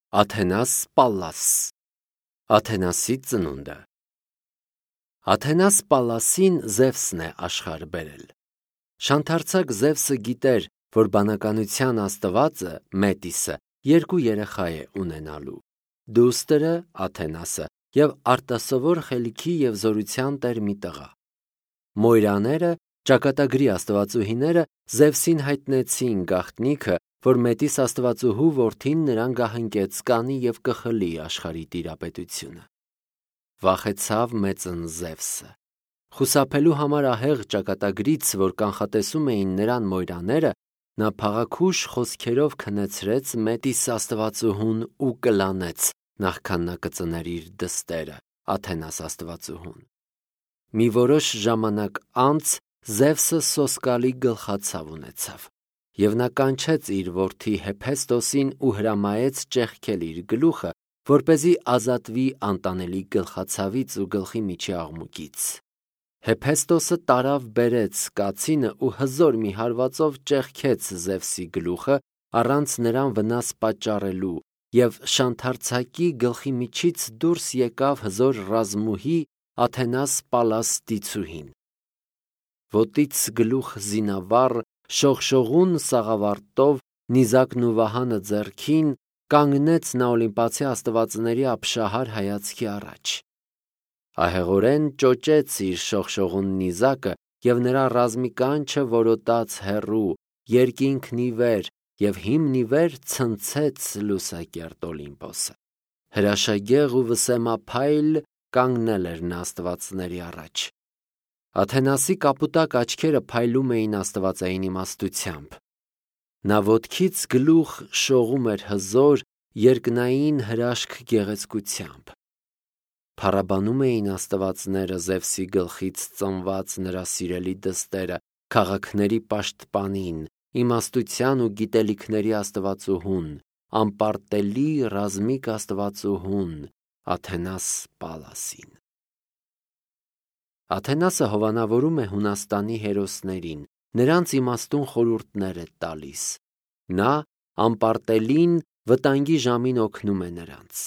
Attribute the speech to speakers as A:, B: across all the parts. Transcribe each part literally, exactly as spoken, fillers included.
A: Աթենաս Պալլաս Աթենասի ծնունդը Աթենաս Պալլասին Զևսն է աշխարհ բերել։ Շանթարցակ Զևսը գիտեր, որ բանականության աստվածը Մետիսը երկու երեխա է ունենալու՝ դուստրը Աթենասը և արտասովոր խելքի և զորության տեր մի տղա։ Մոյրաները, ճակատագրի աստվածուհիները, Զևսին հայտնեցին գաղտնիքը, որ Մետիս աստվածուհու որդին նրան գահընկեց կանի և կխլի աշխարհի տիրապետությունը։ Վախեցավ մեծն Զևսը։ Խուսափելու համար ահեղ ճակատագրից, որ կանխատեսում էին նրան մոյրաները, նա փաղաքուշ խոսքերով քնեցրեց Մետիս աստվածուհուն ու կլանեց, նախքան նա կծներ իր դստերը՝ Աթենաս աստվածուհուն։ Մի որոշ ժամանակ անց Զևսը սոսկալի գլխացավ ունեցավ, և նա կանչեց իր որդի Հեփեստոսին ու հրամայեց ճեղքել իր գլուխը, որպեսզի ազատվի անտանելի գլխացավից ու գլխի միջի աղմուկից։ Հեփեստոսը տարավ բերեց կացինը ու հզոր մի հարվածով ճեղքեց Զևսի գլուխը առանց նրան վնաս պատճառելու, և շանթարցակի գլխի միջից դուրս եկավ հզոր ռազմուհի Աթենաս Պալլաս դիցուհին։ Ոտից գլուխ զինավառ, շողշողուն սաղավարտով, նիզակն ու վահանը ձեռքին, կանգնեց նա օլիմպացի աստվածների ապշահար հայացքի առաջ։ Ահեղորեն ճոճեց իր շողշողուն նիզակը, և նրա ռազմի կանչը որոտաց հեռու, երկինքն ի վեր, և հիմն ի վեր ցնցեց լուսակերտ Օլիմպոսը։ Հրաշագեղ ու վսեմափայլ կանգնել էր նա աստվածների առաջ։ Աթենասի կապուտակ աչքերը փայլում էին աստվածային իմաստությամբ։ Նա ոտքից գլուխ շողում էր հզոր, երկնային հրաշք գեղեցկությամբ։ Փառաբանում էին աստվածները Զևսի գլխից ծնված նրա սիրելի դստերը, քաղաքների պաշտպանին, իմաստության ու գիտելիքների աստվածուհուն, անպարտելի ռազմիկ աստվածուհուն Աթենաս Պալլասին։ Աթենասը հովանավորում է Հունաստանի հերոսներին, նրանց իմաստուն խորհուրդներ է տալիս։ Նա անպարտելին վտանգի ժամին օգնում է նրանց։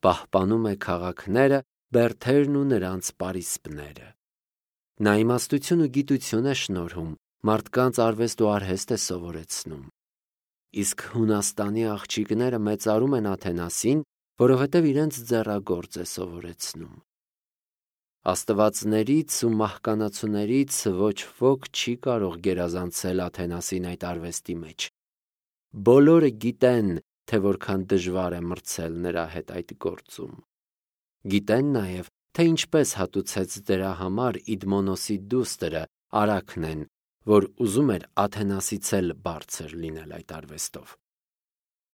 A: Պահպանում է քաղաքները, բերդերն ու նրանց պարիսպները։ Նա իմաստություն ու գիտություն է շնորհում, մարդկանց արվեստ ու արհեստ է սովորեցնում։ Իսկ Հունաստանի աղջիկները մեծարում են Աթենասին, որովհետև իրենց ձեռագործ է սովորեցնում։ Աստվածներից ու մահկանացուներից ոչ ոք չի կարող գերազանցել Աթենասին այդ արվեստի մեջ։ Բոլորը գիտեն, թե որքան դժվար է մրցել նրա հետ այդ գործում։ Գիտեն նաև, թե ինչպես հատուցեց դրա համար Իդմոնոսի դուստրը Արաքնեն, որ ուզում էր Աթենասից էլ բարձր լինել այդ արվեստով։